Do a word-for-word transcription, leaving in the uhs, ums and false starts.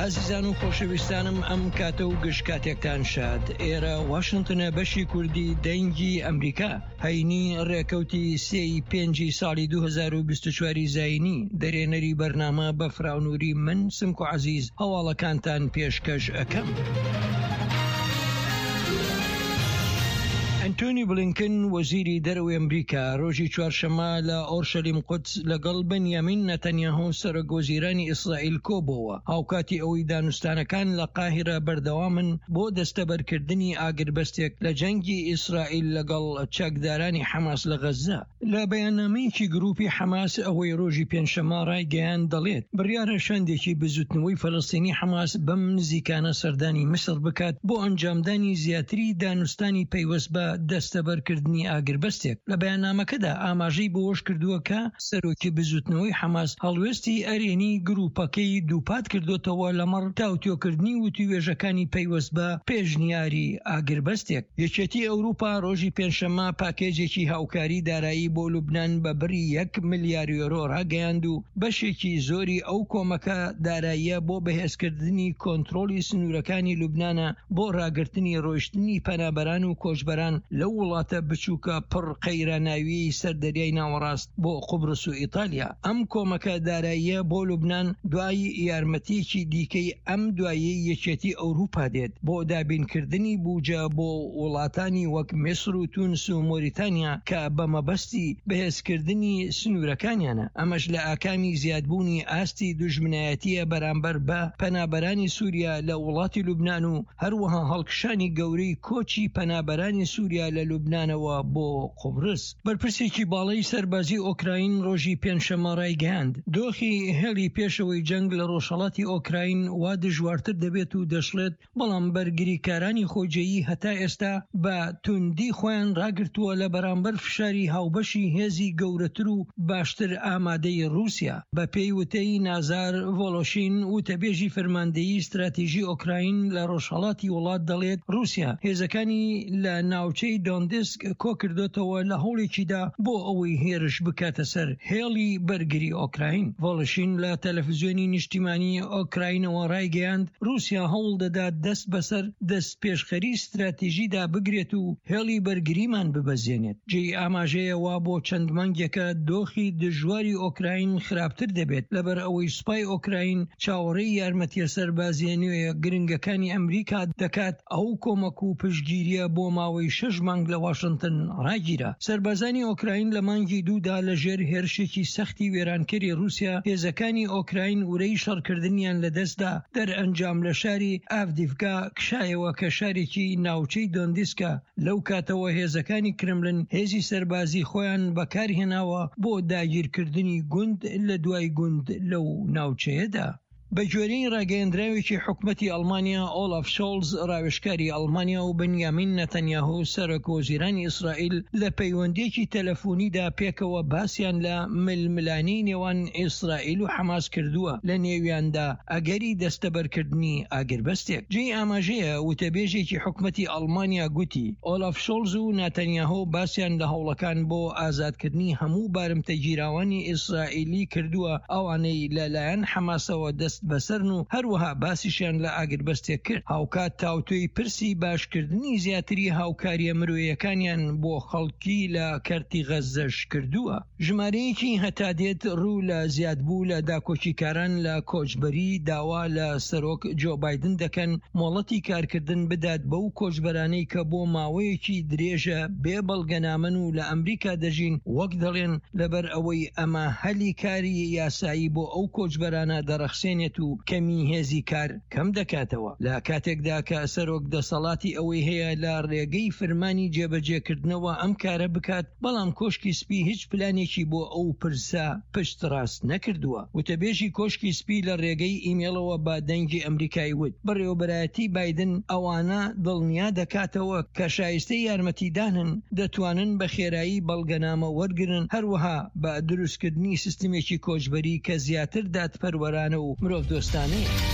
ئازیزان و خۆشەویستانم، ئەم کاتە و گشت کاتێکتان شاد. ئێرە واشنتنە، بەشی کوردی دەنگی ئەمریکا. هەینی ڕێکەوتی سێی پێنجی ساڵی دوو هەزار و بیست و چوار زایینی، دەرێنەری بەرنامە بە فراونووری من سمکو عەزیز هەواڵەکانتان پێشکەش ئەەکەم. ئەنتۆنی بلینکن، وەزیری دەرەوەی ئەمریکا، ڕۆژی چوارشەممە لە ئۆرشەلیم قودس لەگەڵ بنیامین نەتەنیاهۆ، سەرۆک وەزیرانی ئیسرائیل کۆبۆوە، هاوکاتی ئەوەی دانوستانەکان لە قاهیرە بەردەوامن بۆ دەستەبەرکردنی ئاگربەستێک لە جەنگی ئیسرائیل لەگەڵ چەکدارانی حەماس لە غەززە. لە بەیاننامەیەکی گروپی حەماس ئەوەی ڕۆژی پێنجشەممە ڕایگەیاند دەڵێت، بڕیارە شاندێکی بزوتنەوەی فەلەستینی حەماس بەم نزیکانە سەردانی میسر بکات بۆ ئەنجامدانی زیاتری دانوستانی پەیوەست بە دەستەبەرکردنی ئاگربەستێک. لە بەیاننامەکەدا ئاماژەی بەوەش کردووە کە سەرۆکی بزوتنەوەی حەماس هەڵوێستی ئەرێنی گروپەکەی دووپات کردوتەوە لەمەڕ تاوتوێکردنی وتوێژەکانی پەیوەست بە پێشنیاری ئاگربەستێک. یەکێتی ئەوروپا ڕۆژی پێنجشەممە پاکێجێکی هاوکاری دارایی بۆ لوبناان بە بڕی یەک ملیار یۆرۆ ڕاگەیاند و بەشێکی زۆری ئەو کۆمەکە داراییە بۆ بەهێزکردنی کۆنترۆڵی سنوورەکانی لوبنانە بۆ ڕاگرتنی ڕۆیشتنی پەنابەران و کۆچبەران لەو وڵاتە بچووکە پڕ قەیراناویی سەر دەریای ناوەڕاست بۆ قوبرس و ئیتالیا. ئەم کۆمەکە داراییە بۆ لوبناان دوای یارمەتیەکی دیکەی ئەم دوایی یەکێتی ئەوروپا دێت بۆ دابینکردنی بوجە بۆ وڵاتانی وەک میسر و تونس و مۆریتانیا کە بە مەبەستی بەهێزکردنی سنوورەکانیانە، ئەمەش لە ئاکامی زیادبوونی ئاستی دوژمنایەتیە بەرامبەر بە پەنابەرانی سووریا لە وڵاتی لوبناان و هەروەها هەڵکشانی گەورەی کۆچی پەنابەرانی سووریا لە لوبنانەوە بۆ قوبرس. بەرپرسێکی باڵای سەربازی ئۆکراین ڕۆژی پێنجشەممە ڕایگەیاند، دۆخی هێڵی پێشەوەی جەنگ لە ڕۆژهەڵاتی ئۆکراین وا دژوارتر دەبێت و دەشڵێت، بەڵام بەرگریکارانی خۆجێیی هەتا ئێستا بە توندی خۆیان ڕاگرتووە لە بەرامبەر فشاری هاوبەشی هێزی گەورەتر و باشتر ئامادەی رووسیا. بە پێی وتەی نازار ڤۆلۆشین، وتەبێژی فەرماندەیی استراتیژی ئۆکراین لە ڕۆژهەڵاتی وڵات، دەڵێت رووسیا هێزەکانی لە ناوچەی دۆندسک کۆکردوتەوە لە هەوڵێکیدا بۆ ئەوەی هێرش بکاتە سەر هێڵی بەرگری ئۆکراین. ڤۆلۆشین لە تەلەفزیۆنی نیشتیمانی ئۆکراینەوە ڕایگەیاند، رووسیا هەوڵ دەدات دەست بەسەر دەست پێشخەری استراتیژیدا بگرێت و هێڵی بەرگریمان ببەزێنێت. جێی ئاماژەیەوە بۆ چەند مانگێکە دۆخی دژواری ئۆکراین خراپتر دەبێت، لەبەر ئەوەی سوپای ئۆکراین چاوەڕێی یارمەتیە سەربازیە نوێ گرنگەکانی ئەمریکا دەکات. ئەو کۆمەک و پشتگیریە بۆ ماوەی شەش مانگ لە واشنگتن ڕاگیرا. سەربازانی ئۆکراین لە مانگی دوودا لە ژێر هێرشێکی سەختی وێرانکەری رووسیا، هێزەکانی ئۆکراین ورەی شەڕکردنیان لەدەستدا، دەرئەنجام لە شاری ئاڤدیڤکا کشایەوە کە شارێکی ناوچەی دۆندیسکا. لەو کاتەوە هێزەکانی کرملن هێزی سەربازی خۆیان بەکارهێناوە بۆ داگیرکردنی گوند لە دوای گوند لەو ناوچەیەدا. بە گوێرەی ڕاگەیەندراوێکی حکومەتی ئەڵمانیا، ئۆلاف شۆڵز، ڕاوێژکاری ئەڵمانیا و بنیامین نەتەنیاهۆ، سەرۆک وەزیرانی ئیسرائیل، لە پەیوەندیەکی تەلەفۆنیدا پێکەوە باسیان لە ململانێی نێوان ئیسرائیل و حەماس کردووە، لە نێویاندا ئەگەری دەستەبەرکردنی ئاگربەستێک. جێی ئاماژەیە وتەبێژێکی حکومەتی ئەڵمانیا گوتی، ئۆلاف شۆڵز و ناتەنیاهۆ باسیان لە هەوڵەکان بۆ ئازادکردنی هەموو بارمتەگیراوانی ئیسرائیلی کردووە، ئەوانەی لەلایەن حەماسەوە دەست بەسەرن و هەروەها باسیشیان لە ئاگربەستێک کرد. هاوکات تاوتوێی پرسی باشکردنی زیاتری هاوکاریە مرۆیەکانیان بۆ خەڵکی لە کەرتی غەززەش کردووە. ژمارەیەکی هەتا دێت ڕوو لە زیادبوو لە داکۆکیکاران لە کۆچبەری داوا لە سەرۆک جۆ بایدن دەکەن مۆڵەتی کارکردن بدات بەو کۆچبەرانەی کە بۆ ماوەیەکی درێژە بێ بەڵگەنامەن و لە ئەمریکا دەژین، وەک دەڵێن لەبەر ئەوەی ئەمە هەلی کاری یاسایی بۆ ئەو کۆچبەرانە دەڕەخسێنێت و کەمی هێزی کار کەم دەکاتەوە. لە کاتێکدا کە سەرۆک دەسەڵاتی ئەوەی هەیە لە ڕێگەی فرمانی جێبەجێکردنەوە ئەم کارە بکات، بەڵام کۆشکی سپی هیچ پلانێکی بۆ ئەو پرسە پشت ڕاست نەکردووە. وتەبێژی کۆشکی سپی لە ڕێگەی ئیمێڵەوە بە دەنگی ئەمریکای وت، بەڕێوەبەرایەتی بایدن ئەوانە دڵنیا دەکاتەوە کە شایستەی یارمەتیدانن دەتوانن بە خێرایی بەڵگەنامە وەرگرن، هەروەها بە دروستکردنی سیستمێکی کۆچبەری کە زیاتر دادپەروەرانە و مرۆڤدۆستانەیە.